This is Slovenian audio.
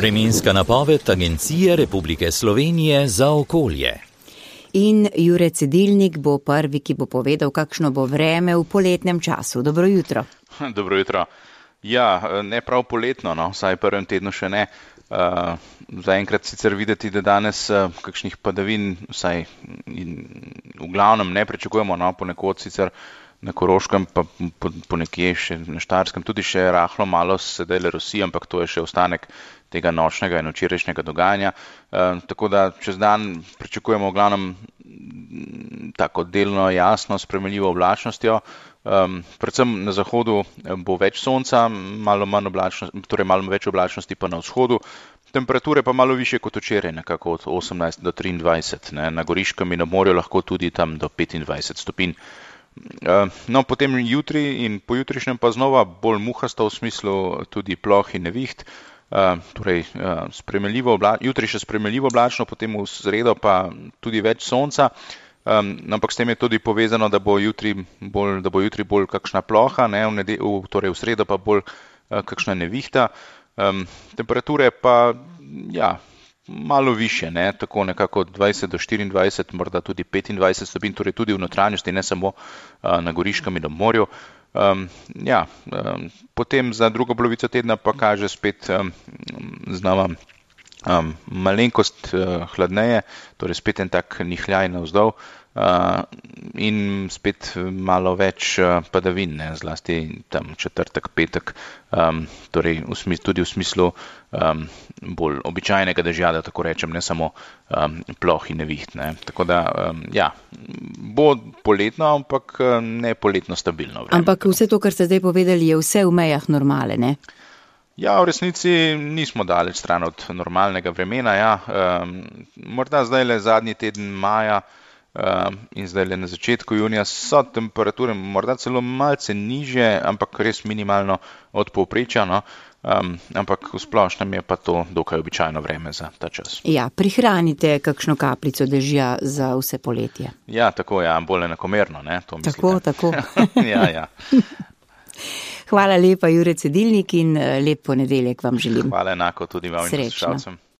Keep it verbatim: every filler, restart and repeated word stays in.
Vremenska napoved Agencije Republike Slovenije za okolje. In Jure Cedilnik bo prvi, ki bo povedal, kakšno bo vreme v poletnem času. Dobro jutro. Dobro jutro. Ja, ne prav poletno, no, vsaj prvem tednu še ne. Uh, zaenkrat sicer videti, da danes uh, kakšnih padavin vsaj in, v glavnem ne pričakujemo, no, ponekod sicer na Koroškem, pa po, po nekje še na Štajerskem, tudi še rahlo malo sedaj le rosi, ampak to je še ostanek tega nočnega in včerajšnjega dogajanja. Uh, tako da čez dan pričakujemo v glavnem tako delno jasno spremenljivo oblačnostjo. Um, predvsem na zahodu bo več sonca, malo manj oblačnosti, torej malo več oblačnosti pa na vzhodu. Temperature pa malo više kot včeraj, nekako od osemnajst do triindvajset, ne, na Goriškem in na morju lahko tudi tam do petindvajset stopinj. Uh, no, potem jutri in pojutrišnjem pa znova bolj muhasto v smislu tudi ploh in neviht. Uh, torej, uh, sprejemljivo obla- jutri še sprejemljivo oblačno, potem v sredo pa tudi več sonca. Um, ampak s tem je tudi povezano, da bo jutri bolj, da bo jutri bolj kakšna ploha, ne, v, nede, v, torej v sredo pa bolj uh, kakšna nevihta. Um, temperature pa ja, malo više, ne, tako nekako dvajset do štiriindvajset, morda tudi petindvajset stopinj, torej tudi v notranjosti, ne samo uh, na Goriškem in na morju. Um, ja, um, potem za drugo polovico tedna pa kaže spet um, znova Um, malenkost uh, hladneje, torej spet en tak nihljaj navzdol uh, in spet malo več uh, padavin, ne, zlasti tam četrtek, petek, um, torej v smislu, tudi v smislu um, bolj običajnega dežja, da tako rečem, ne samo um, ploh in neviht. Ne. Tako da, um, ja, bo poletno, ampak ne poletno stabilno vreme. Ampak vse to, kar ste zdaj povedali, je vse v mejah normale, ne? Ja, v resnici nismo daleč stran od normalnega vremena. Ja. Um, morda zdaj le zadnji teden maja um, in zdaj le na začetku junija so temperature morda celo malce nižje, ampak res minimalno od povprečja. No. Um, ampak v splošnem je pa to dokaj običajno vreme za ta čas. Ja, prihranite kakšno kapljico dežja za vse poletje. Ja, tako, ja, bolj enakomerno, ne, to mislite. Tako, tako. ja, ja. Hvala lepa, Jure Cedilnik, in lep ponedeljek vam želim. Hvala enako tudi vam in poslušalcem.